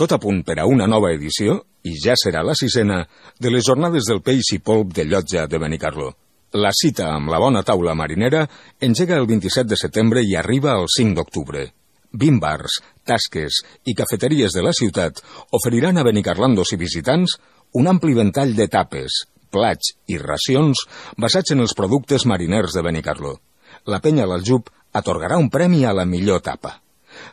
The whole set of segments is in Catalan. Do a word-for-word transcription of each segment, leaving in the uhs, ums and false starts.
Tot a punt per a una nova edició, i ja serà la sisena, de les jornades del peix i polp de Llotja de Benicarló. La cita amb la bona taula marinera engega el vint-i-set de setembre i arriba el cinc d'octubre. vint bars, tasques i cafeteries de la ciutat oferiran a benicarlandos i visitants un ampli ventall de tapes, plats i racions basats en els productes mariners de Benicarló. La penya l'Aljub atorgarà un premi a la millor tapa.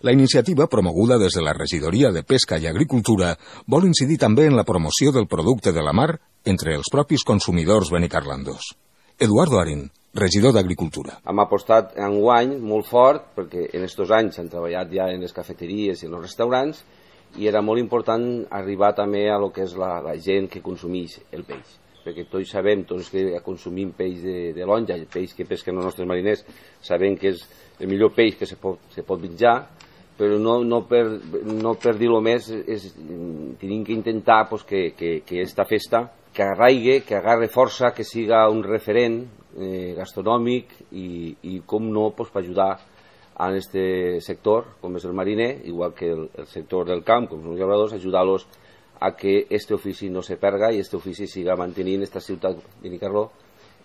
La iniciativa, promoguda des de la Regidoria de Pesca i Agricultura, vol incidir també en la promoció del producte de la mar entre els propis consumidors benicarlandos. Eduardo Arín, regidor d'Agricultura. Hem apostat enguany molt fort, perquè en aquests anys s'han treballat ja en les cafeteries i en els restaurants, i era molt important arribar també a lo que és la, la gent que consumeix el peix. Perquè tots sabem, tots que consumim peix de, de lonja, el peix que pesquen els nostres mariners, sabem que és el millor peix que se pot, se pot menjar, però no, no, per, no per dir-ho més, és, tenim que intentar pues, que, que, que esta festa que arraigue, que agarre força, que siga un referent eh, gastronòmic i, i com no, pues, per ajudar a este sector, com és el mariner, igual que el, el sector del camp, com són els llauradors, ajudar-los a que este ofici no se perga i este ofici siga mantenint esta ciutat de Benicarló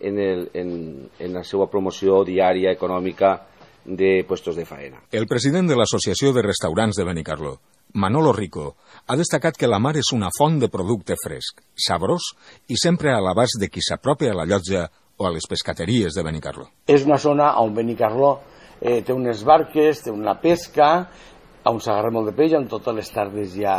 en, el, en, en la seva promoció diària econòmica de puestos de faena. El president de l'Associació de Restaurants de Benicarló, Manolo Rico, ha destacat que la mar és una font de producte fresc, sabrós i sempre a l'abast de qui s'apropa a la llotja o a les pescateries de Benicarló. És una zona on Benicarló eh, té unes barques, té una pesca, on s'agarra molt de peix, on totes les tardes hi ha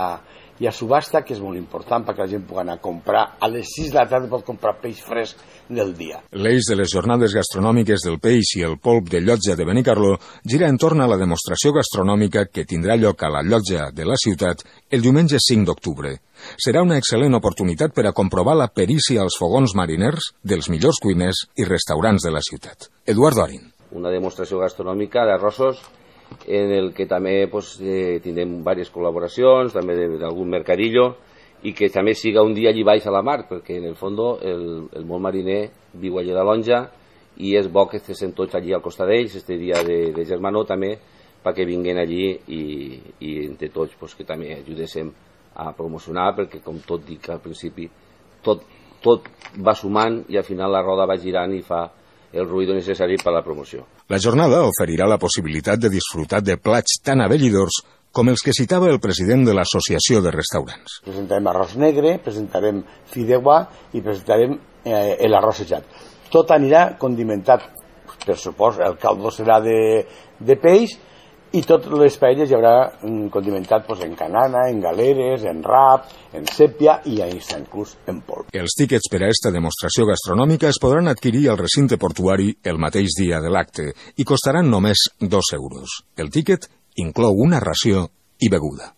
hi ha subhasta, que és molt important perquè la gent pugui anar a comprar. A les sis de la tarda pot comprar peix fresc del dia. L'eix de les jornades gastronòmiques del peix i el polp de Llotja de Benicarló gira entorn a la demostració gastronòmica que tindrà lloc a la Llotja de la ciutat el diumenge cinc d'octubre. Serà una excel·lent oportunitat per a comprovar la perícia als fogons mariners dels millors cuiners i restaurants de la ciutat. Eduardo Arín. Una demostració gastronòmica d'arrossos en el que també pues, eh, tindrem diverses col·laboracions, també d'algun mercadillo, i que també siga un dia allí baix a la mar, perquè en el fons el, el món mariner viu allà de Lonja i és bo que estiguem tots allí al costat d'ells, este dia de, de germanor també, perquè vinguin allí i, i entre tots pues, que també ajudéssim a promocionar, perquè com tot dic al principi, tot, tot va sumant i al final la roda va girant i fa el ruïdo necessari per a la promoció. La jornada oferirà la possibilitat de disfrutar de plats tan abellidors com els que citava el president de l'Associació de Restaurants. Presentarem arròs negre, presentarem fideuà i presentarem eh, l'arrossejat. Tot anirà condimentat, per supòs, el caldo serà de, de peix i totes les paelles hi haurà condimentat pues, en canana, en galeres, en rap, en sèpia i inclús en polp. Els tíquets per a esta demostració gastronòmica es podran adquirir al recinte portuari el mateix dia de l'acte i costaran només dos euros. El tíquet inclou una ració i beguda.